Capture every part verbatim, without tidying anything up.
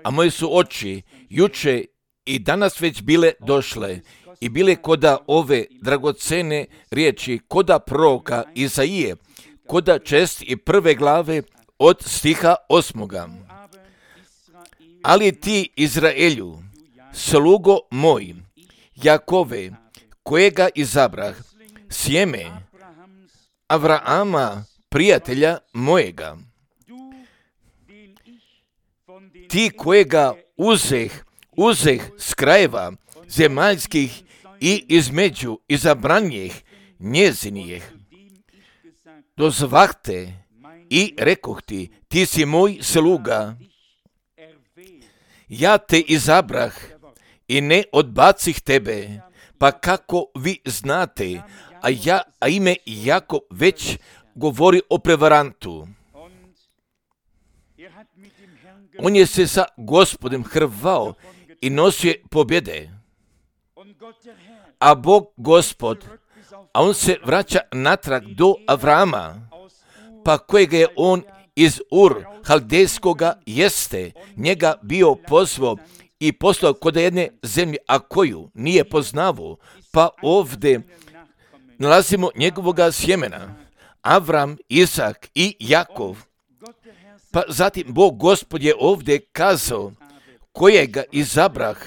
A moje su oči juče i danas već bile došle i bile koda ove dragocene riječi, koda proroka Izaije, koda čest i prve glave od stiha osmoga. Ali ti, Izraelju, slugo moj, Jakove, kojega izabrah, sjeme Avrama, prijatelja mojega, ti kojega uzeh, uzeh s krajeva zemaljskih i između izabranjih njezinijih, dozvahte i rekoh ti, ti si moj sluga, ja te izabrah i ne odbacih tebe, pa kako vi znate, a ja, a ime Jakov već govori o prevarantu. On je se sa Gospodem hrvao i nosio pobjede. A Bog Gospod, a on se vraća natrag do Avrama, pa kojega je on iz Ur Haldejskoga jeste, njega bio pozvao i poslao kod jedne zemlje, a koju nije poznavao, pa ovdje nalazimo njegovoga sjemena, Avram, Isak i Jakov. Pa zatim Bog Gospod je ovdje kazao, kojega izabrah,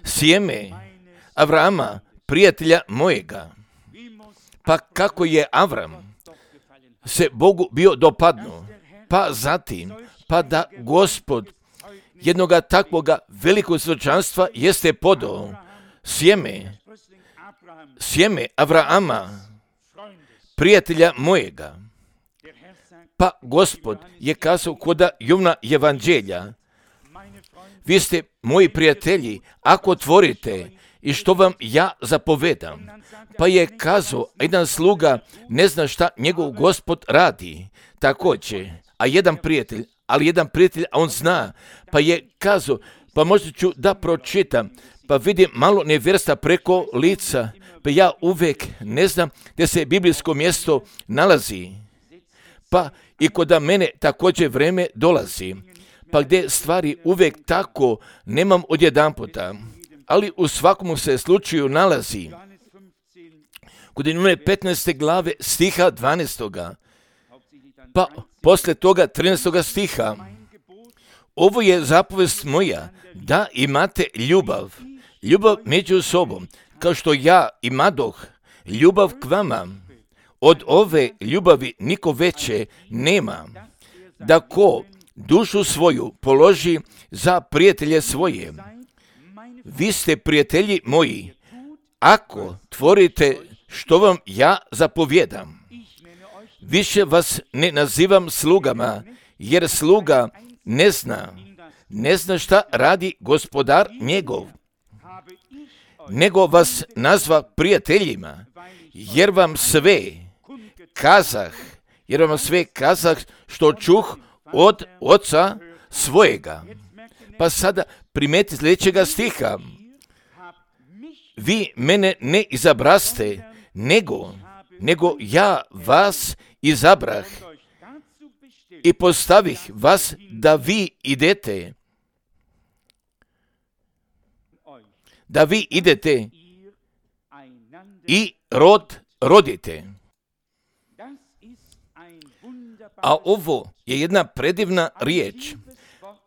sjeme Avrama, prijatelja mojega. Pa kako je Avram se Bogu bio dopadnuo, pa zatim, pa da Gospod jednoga takvoga velikog svjedočanstva jeste podao, sjeme, sjeme Avrama, prijatelja mojega. Pa Gospod je kazao koda Jovna evanđelja, vi ste moji prijatelji, ako tvorite i što vam ja zapovedam. Pa je kazao, jedan sluga ne zna šta njegov Gospod radi. Također, a jedan prijatelj, ali jedan prijatelj, a on zna. Pa je kazao, pa možda ću da pročitam, pa vidim malo nevjerstva preko lica, pa ja uvijek ne znam gdje se biblijsko mjesto nalazi. Pa i kod mene također vreme dolazi, pa gdje stvari uvijek tako nemam odjedanputa, ali u svakom se slučaju nalazi. Kod one petnaeste glave stiha dvanaestoga, pa posle toga trinaestoga stiha, ovo je zapovest moja, da imate ljubav, ljubav među sobom, kao što ja imadoh ljubav k vama. Od ove ljubavi niko veće nema, da ko dušu svoju položi za prijatelje svoje. Vi ste prijatelji moji, ako tvorite što vam ja zapovjedam. Više vas ne nazivam slugama, jer sluga ne zna, ne zna šta radi gospodar njegov, nego vas nazva prijateljima, jer vam sve kazah, jer vam sve kazah što čuh od oca svojega. Pa sada primeti sljedećega stiha. Vi mene ne izabraste, nego, nego ja vas izabrah i postavih vas da vi idete, da vi idete i rod rodite. A ovo je jedna predivna riječ,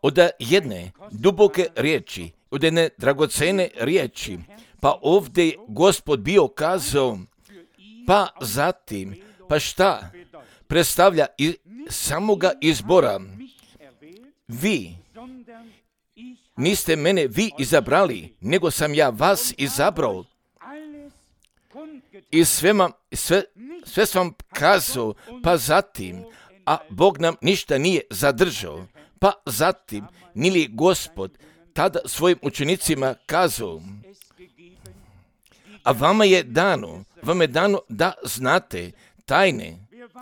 od jedne duboke riječi, od jedne dragocene riječi. Pa ovdje je Gospod bio kazao, pa zatim, pa šta predstavlja i samoga izbora. Vi niste mene vi izabrali, nego sam ja vas izabrao. I sve, mam, sve, sve sam vam kazao, pa zatim, a Bog nam ništa nije zadržao. Pa zatim, nili Gospod tada svojim učenicima kazao, a vama je dano, vama je dano da znate tajne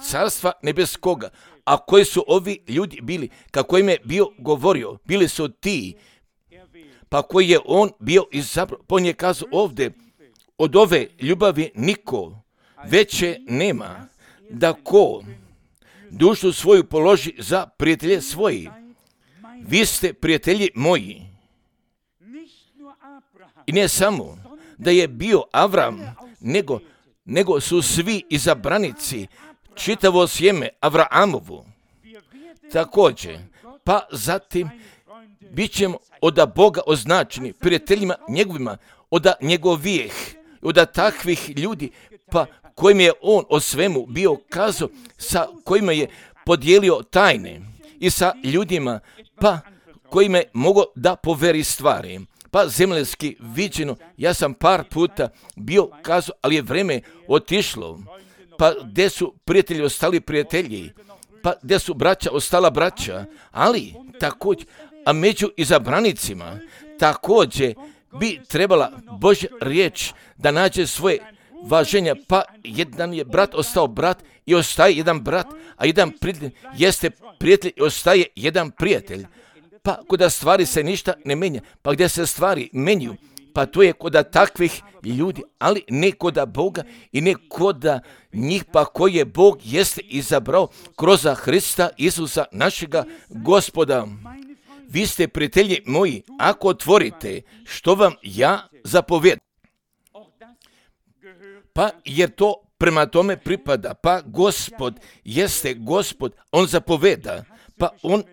carstva nebeskoga. A koji su ovi ljudi bili, kako im je bio govorio, bili su ti, pa koji je on bio izabrao, pa on je kazao ovdje, od ove ljubavi niko veće nema, da ko dušu svoju položi za prijatelje svoji. Vi ste prijatelji moji. I ne samo da je bio Avram, nego, nego su svi izabranici, čitavo sjeme Avraamovu. Također, pa zatim bit ćemo od Boga označeni prijateljima njegovima, od njegovijeh, od takvih ljudi, pa kojim je on o svemu bio kazao, sa kojima je podijelio tajne i sa ljudima, pa kojima je mogao da poveri stvari. Pa zemaljski viđeno, ja sam par puta bio kazao, ali je vreme otišlo, pa gdje su prijatelji ostali prijatelji, pa gdje su braća ostala braća, ali također, a među izabranicima također bi trebala Božja riječ da nađe svoje važenja, pa jedan je brat ostao brat i ostaje jedan brat, a jedan prijatelj jeste prijatelj i ostaje jedan prijatelj. Pa kod stvari se ništa ne menja, pa gdje se stvari menju, pa to je kod takvih ljudi, ali ne kod Boga i ne kod njih, pa koje Bog jeste izabrao kroz Hrista Isusa našega Gospoda. Vi ste prijatelji moji, ako otvorite što vam ja zapovjedam. Pa jer to prema tome pripada, pa Gospod jeste Gospod, on zapoveda, pa on,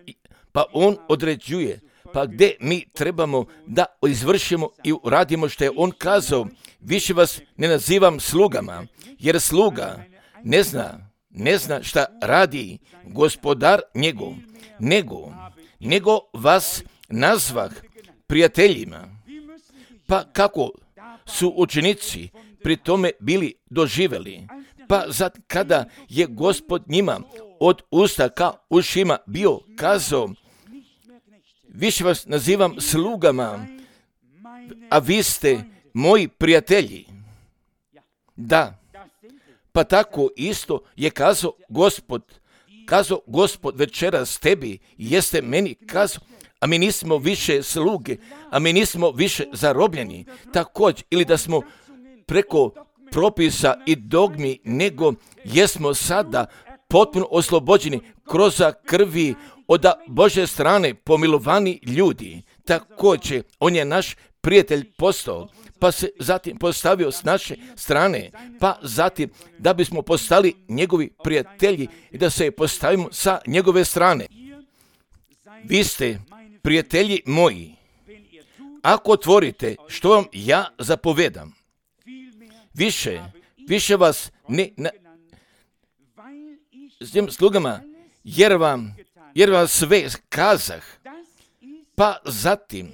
pa on određuje, pa gdje mi trebamo da izvršimo i uradimo što je on kazao. Više vas ne nazivam slugama, jer sluga ne zna, ne zna šta radi gospodar njegov, nego, nego vas nazvah prijateljima. Pa kako su učenici pri tome bili doživjeli, pa zat kada je Gospod njima od usta ka ušima bio kazao, više vas nazivam slugama, a vi ste moji prijatelji. Da, pa tako isto je kazao Gospod, kazao Gospod večeras tebi, jeste meni kazao, a mi nismo više sluge, a mi nismo više zarobljeni, također, ili da smo preko propisa i dogmi, nego jesmo sada potpuno oslobođeni kroz krvi od Božje strane pomilovani ljudi. Također, on je naš prijatelj postao, pa se zatim postavio s naše strane, pa zatim da bismo postali njegovi prijatelji i da se postavimo sa njegove strane. Vi ste prijatelji moji, ako otvorite što vam ja zapovedam. Više, više vas ne na, s tim slugama, jer vam, jer vam sve kazah, pa zatim,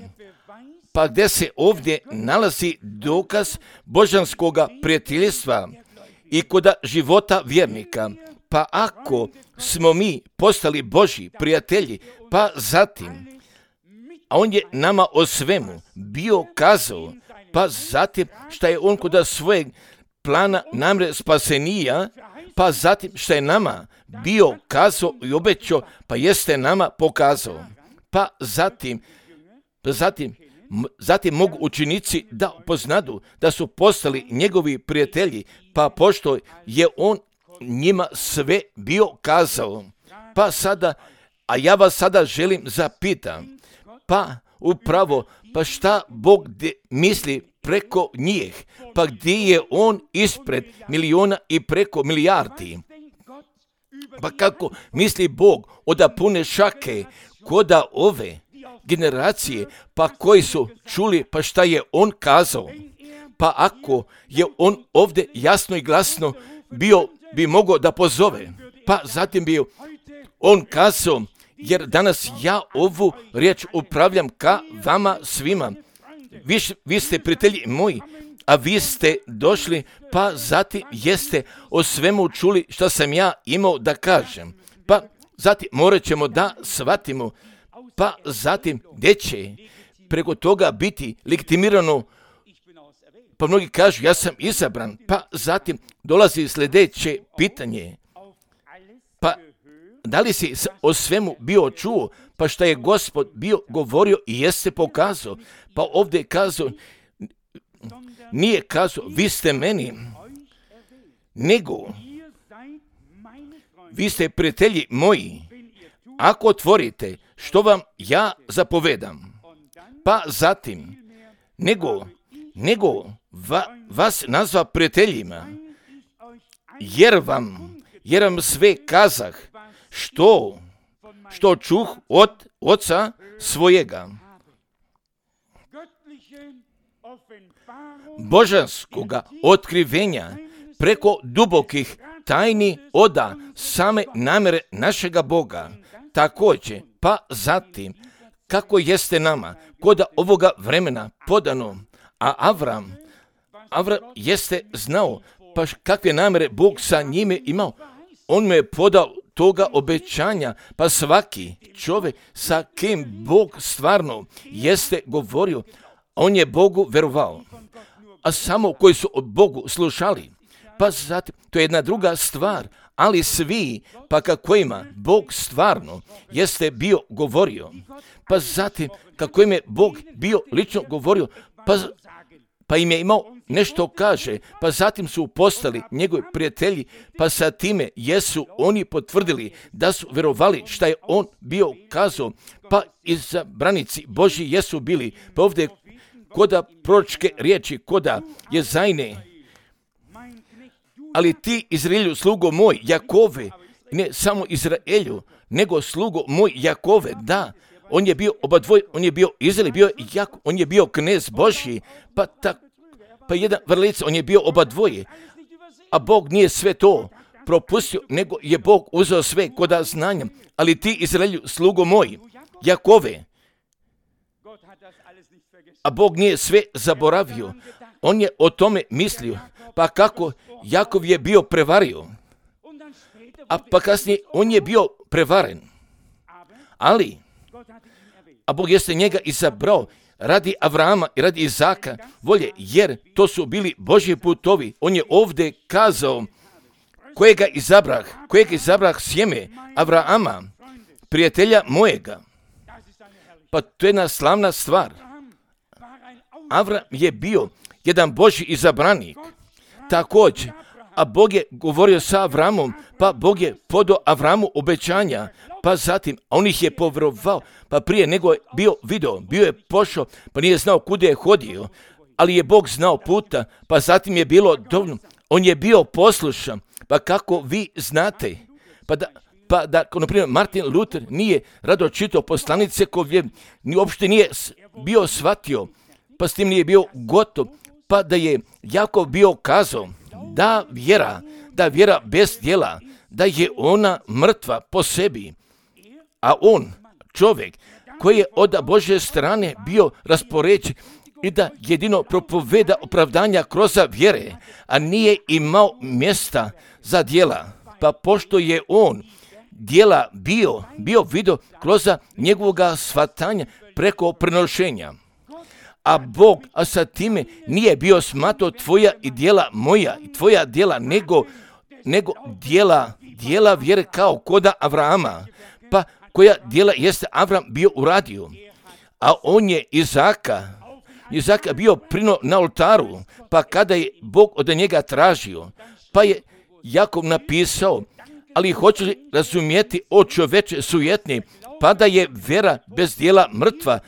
pa gdje se ovdje nalazi dokaz božanskoga prijateljstva i kod života vjernika, pa ako smo mi postali Božji prijatelji, pa zatim, a on je nama o svemu bio kazao, pa zatim šta je on kod svojeg plana namre spasenija, pa zatim šta je nama bio kazao i obećao, pa jeste nama pokazao. Pa zatim, pa zatim, zatim mogu učenici da upoznadu da su postali njegovi prijatelji, pa pošto je on njima sve bio kazao. Pa sada, a ja vas sada želim zapitam, pa upravo, pa šta Bog misli preko njih, pa gdje je on ispred miliona i preko milijardi? Pa kako misli Bog od pune šake koda ove generacije, pa koji su čuli pa šta je on kazao? Pa ako je on ovdje jasno i glasno bio, bi mogao da pozove, pa zatim bi on kazao, jer danas ja ovu riječ upravljam ka vama svima. Vi, vi ste prijatelji moji, a vi ste došli, pa zatim jeste o svemu čuli što sam ja imao da kažem. Pa zatim morat ćemo da shvatimo, pa zatim gdje će preko toga biti legitimirano, pa mnogi kažu ja sam izabran, pa zatim dolazi sljedeće pitanje, pa da li si o svemu bio čuo, pa šta je Gospod bio govorio i jeste pokazao, pa ovdje je kazao, nije kazao vi ste meni, nego vi ste prijatelji moji, ako otvorite što vam ja zapovedam. Pa zatim, nego, nego va, vas nazva prijateljima, jer vam, jer vam sve kazah, što, što čuh od oca svojega. Božanskoga otkrivenja preko dubokih tajni oda same namjere našega Boga. Također, pa zatim, kako jeste nama kod ovoga vremena podano, a Avram, Avram jeste znao pa kakve namjere Bog sa njime imao. On mu je podao toga obećanja, pa svaki čovjek sa kim Bog stvarno jeste govorio, on je Bogu verovao. A samo koji su od Bogu slušali, pa zatim, to je jedna druga stvar, ali svi, pa kako ima Bog stvarno jeste bio govorio, pa zatim kako im je Bog bio lično govorio, pa, pa im je imao nešto kaže, pa zatim su postali njegovi prijatelji, pa sa time jesu oni potvrdili da su verovali šta je on bio kazao, pa izabranici Božji jesu bili, pa ovdje koda proročke riječi, koda je zajne, ali ti Izraelju slugo moj Jakove, ne samo Izraelju, nego slugo moj Jakove, da, on je bio oba dvoj, on je bio Izrael, bio Jakov, on je bio knez Božji, pa tak, pa jedan vrlica, on je bio oba dvoje, a Bog nije sve to propustio, nego je Bog uzeo sve koda znanja, ali ti Izraelju slugo moj Jakove, a Bog nije sve zaboravio, on je o tome mislio, pa kako Jakov je bio prevario, a pa kasnije on je bio prevaren, ali, a Bog jeste njega izabrao radi Avrama i radi Izaka volje, jer to su bili Božji putovi. On je ovdje kazao kojega izabrah, kojega izabrah sjeme Avrama, prijatelja mojega. Pa to je jedna slavna stvar. Avram je bio jedan Božji izabranik. Također, a Bog je govorio sa Avramom, pa Bog je podao Avramu obećanja, pa zatim, a on ih je povjerovao, pa prije nego je bio video, bio je pošao, pa nije znao kuda je hodio, ali je Bog znao puta, pa zatim je bilo dovoljno, on je bio poslušan, pa kako vi znate, pa da, pa da, na primjer, Martin Luther nije rado čitao poslanice koje ni uopšte nije bio shvatio, pa s tim nije bio gotov, pa da je Jakov bio kazao da vjera, da vjera bez djela, da je ona mrtva po sebi, a on, čovjek koji je od Božje strane bio raspoređen i da jedino propoveda opravdanja kroz vjere, a nije imao mjesta za djela, pa pošto je on djela bio, bio vidio kroz njegovoga shvatanja preko prenošenja. A Bog, a sa time nije bio smatrao tvoja i djela moja i tvoja djela, nego, nego djela, djela vjere kao koda Avrama, pa koja djela jeste Avram bio uradio. A on je Izaka, Izaka bio prino na oltaru, pa kada je Bog od njega tražio, pa je Jakov napisao, ali hoću li razumjeti o čoveče sujetni, pa da je vjera bez djela mrtva,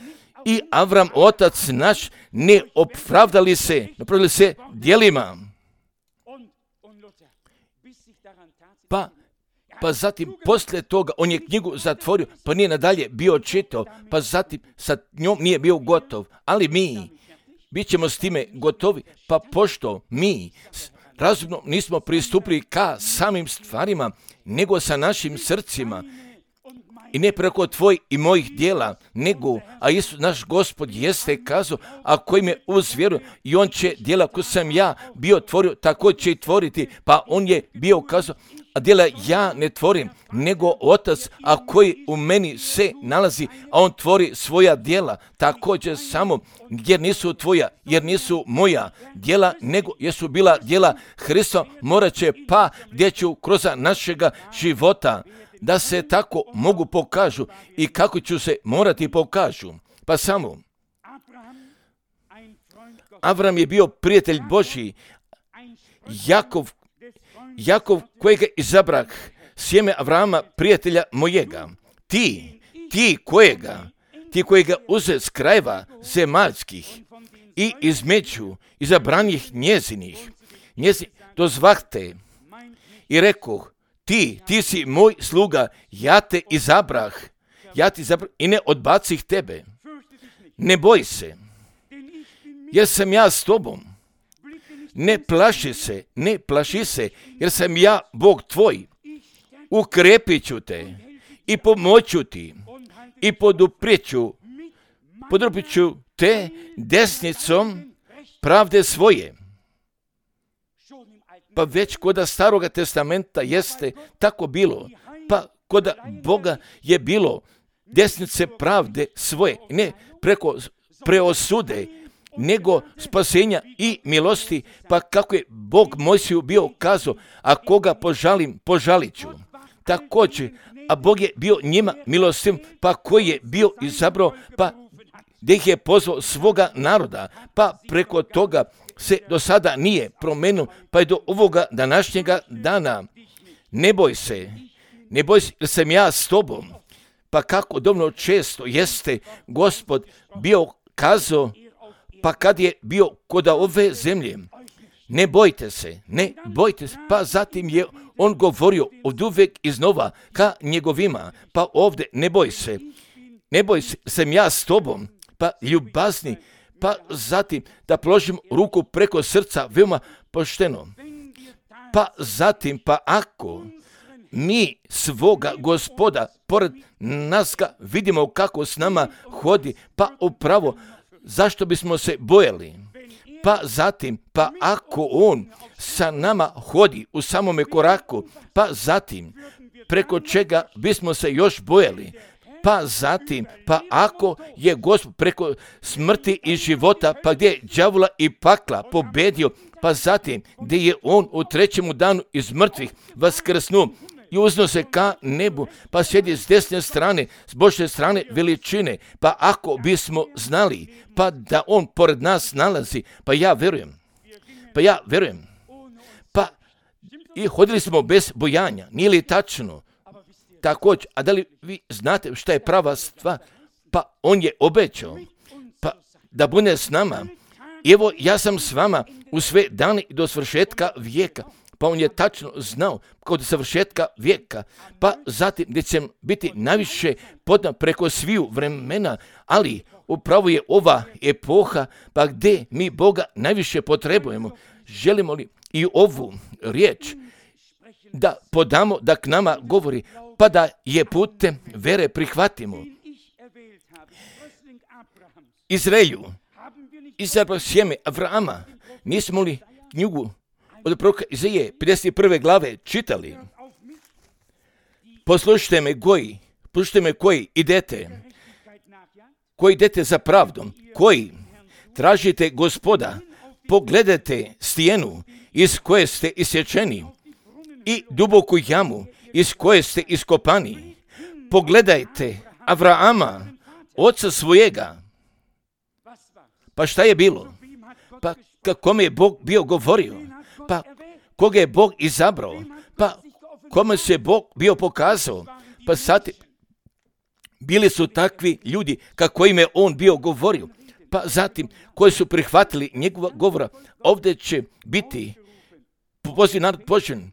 i Avram, otac naš, ne opravdali se, napravili se djelima. Pa, pa zatim, poslije toga, on je knjigu zatvorio, pa nije nadalje bio čitao, pa zatim sa njom nije bio gotov. Ali mi, bit ćemo s time gotovi, pa pošto mi razumno nismo pristupili ka samim stvarima, nego sa našim srcima, i ne preko tvojih i mojih djela, nego, a Isus naš Gospod jeste kazao, a koji me uz vjeru, i on će djela koje sam ja bio tvorio, tako će i tvoriti, pa on je bio kazao, a djela ja ne tvorim, nego Otac, a koji u meni se nalazi, a on tvori svoja djela, također samo, jer nisu tvoja, jer nisu moja djela, nego jesu bila djela Hrista, morat će pa gdje ću kroz našega života, da se tako mogu pokažu i kako ću se morati pokažu. Pa samo, Avram je bio prijatelj Božji, Jakov, Jakov kojega izabrah sjeme Avrama, prijatelja mojega. Ti, ti kojega, ti kojega uze s krajeva zemaljskih i između izabranjih njezinih, njezi dozvahte i rekoh, ti, ti si moj sluga, ja te izabrah, ja ti izabrah i ne odbacih tebe. Ne boj se, jer sam ja s tobom. Ne plaši se, ne plaši se, jer sam ja Bog tvoj. Ukrepit ću te i pomoću ti i poduprijeću, poduprit ću te desnicom pravde svoje. Pa već koda Staroga testamenta jeste tako bilo, pa koda Boga je bilo desnice pravde svoje, ne preko preosude, nego spasenja i milosti, pa kako je Bog Mojsiju bio kazao, a koga požalim, požalit ću. Također, a Bog je bio njima milostiv, pa koji je bio izabrao, pa gdje ih je pozvao svoga naroda, pa preko toga se do sada nije promenio, pa je do ovoga današnjega dana. Ne boj se, ne boj se, jer sam ja s tobom. Pa kako dovoljno često jeste Gospod bio kazao, pa kad je bio kod ove zemlje, ne bojte se, ne bojte se, pa zatim je on govorio od uvijek iznova ka njegovima, pa ovdje ne boj se, ne boj se, sam ja s tobom, pa ljubazni, pa zatim da položim ruku preko srca veoma pošteno, pa zatim, pa ako mi svoga Gospoda pored nas ga vidimo kako s nama hodi, pa upravo zašto bismo se bojali? Pa zatim, pa ako on sa nama hodi u samome koraku, pa zatim preko čega bismo se još bojali? Pa zatim, pa ako je Gospod preko smrti i života, pa gdje je đavola i pakla pobedio, pa zatim gdje je on u trećemu danu iz mrtvih vaskrsnuo i uzno se ka nebu, pa sjedi s desne strane, s Božje strane veličine, pa ako bismo znali, pa da on pored nas nalazi, pa ja verujem, pa ja verujem, pa i hodili smo bez bojanja, nije li tačno? Također, a da li vi znate šta je prava stvar? Pa on je obećao, pa da bude s nama. I evo, ja sam s vama u sve dane do svršetka vijeka. Pa on je tačno znao kod svršetka vijeka, pa zatim gdje će biti najviše podna preko sviju vremena, ali upravo je ova epoha, pa gdje mi Boga najviše potrebujemo. Želimo li i ovu riječ da podamo, da k nama govori, pa da je putem vere prihvatimo. Izraelju, izabrao sjeme Avrama, nismo li knjigu od proroka Izaije pedeset prve glave čitali? Poslušajte me koji, poslušajte me koji idete, koji idete za pravdom, koji tražite Gospoda, pogledajte stijenu iz koje ste isječeni i duboku jamu iz koje ste iskopani. Pogledajte Avrama, oca svojega. Pa šta je bilo? Pa kome je Bog bio govorio? Pa koga je Bog izabrao? Pa kome se Bog bio pokazao? Pa sad bili su takvi ljudi kako im je on bio govorio. Pa zatim koji su prihvatili njegova govora, ovdje će biti poziv narod poželjen.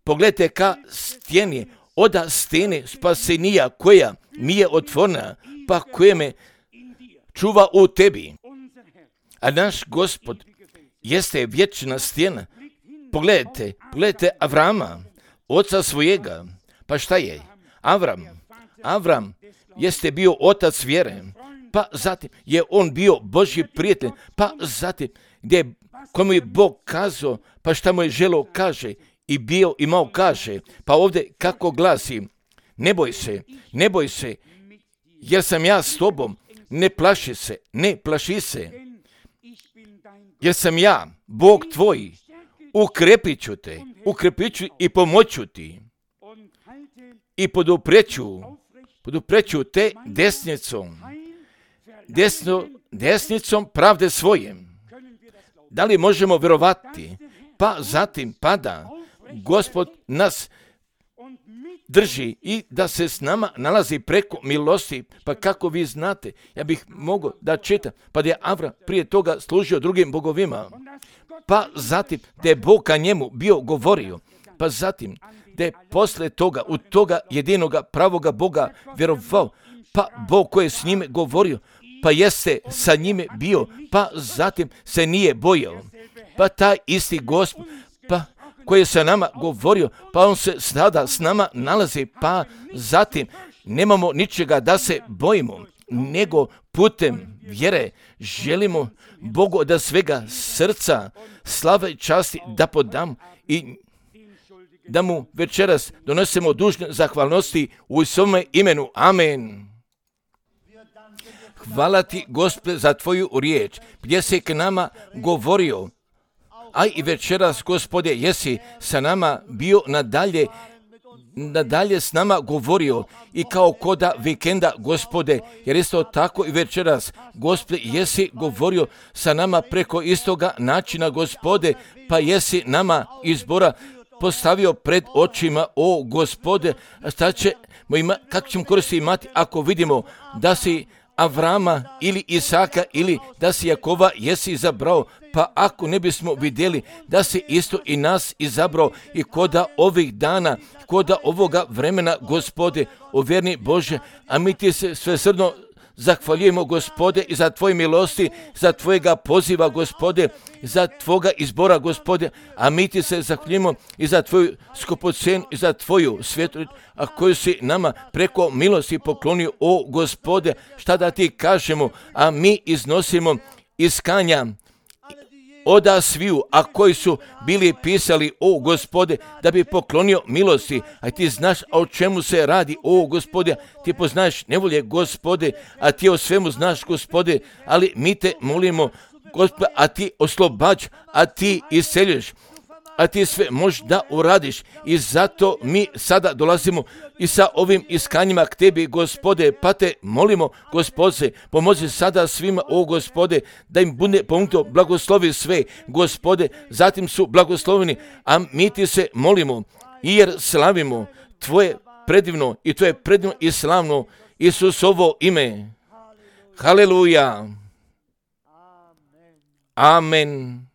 Pogledajte ka stijeni, oda stene spasenija koja mi je otvorena, pa koja me čuva u tebi. A naš Gospod jeste vječna stijena. Pogledajte, pogledajte Avrama, oca svojega. Pa šta je? Avram, Avram jeste bio otac vjere, pa zatim je on bio Božji prijatelj, pa zatim gdje komu je Bog kazao, pa šta mu je želeo kaže, i bio imao kaže, pa ovdje kako glasi, ne boj se, ne boj se, jer sam ja s tobom, ne plaši se, ne plaši se, jer sam ja, Bog tvoj, ukrepit ću te, ukrepit ću i pomoću ti, i podupreću, podupreću te desnicom, desno, desnicom pravde svojem. Da li možemo vjerovati? Pa zatim pada Gospod nas drži i da se s nama nalazi preko milosti. Pa kako vi znate, ja bih mogao da čitam, pa da je Avram prije toga služio drugim bogovima, pa zatim da je Bog ka njemu bio govorio, pa zatim da je posle toga u toga jedinoga pravoga Boga vjerovao, pa Bog koji je s njime govorio, pa jeste sa njime bio, pa zatim se nije bojao, pa taj isti Gospod, pa koji je sa nama govorio, pa on se sada s nama nalazi, pa zatim nemamo ničega da se bojimo, nego putem vjere želimo Bogu da svega srca slave i časti da podam i da mu večeras donosimo dužne zahvalnosti u svome imenu. Amen. Hvala ti, Gospode, za tvoju riječ, gdje si k nama govorio, a i večeras, Gospode, jesi sa nama bio nadalje, nadalje s nama govorio i kao koda vikenda, Gospode, jer isto tako i večeras, Gospode, jesi govorio sa nama preko istoga načina, Gospode, pa jesi nama izbora postavio pred očima, o Gospode, šta ćemo ima, kako ćemo koristi imati ako vidimo da si Avrama ili Isaka ili da si Jakova jesi izabrao, pa ako ne bismo vidjeli da si isto i nas izabrao i koda ovih dana, koda ovoga vremena, Gospode, o vjerni Bože, a mi ti se svesrdno zahvaljujemo, Gospode, i za tvoje milosti, za tvojega poziva, Gospode, za tvoga izbora, Gospode, a mi ti se zahvaljujemo i za tvoju skupocen i za tvoju svjetu, a koju si nama preko milosti poklonio, o Gospode, šta da ti kažemo, a mi iznosimo iskanja oda sviju, a koji su bili pisali, o Gospode, da bi poklonio milosti, a ti znaš o čemu se radi, o Gospode, ti poznaš nevolje, Gospode, a ti o svemu znaš, Gospode, ali mi te molimo, Gospode, a ti oslobađ, a ti isceljuješ, a ti sve možeš da uradiš i zato mi sada dolazimo i sa ovim iskanjima k tebi, Gospode, pa te molimo, Gospode, pomozi sada svima, o Gospode, da im bude pomognuto, blagoslovi sve, Gospode, zatim su blagosloveni, a mi ti se molimo, jer slavimo tvoje predivno i tvoje predivno i slavno Isusovo ime. Haleluja. Amen.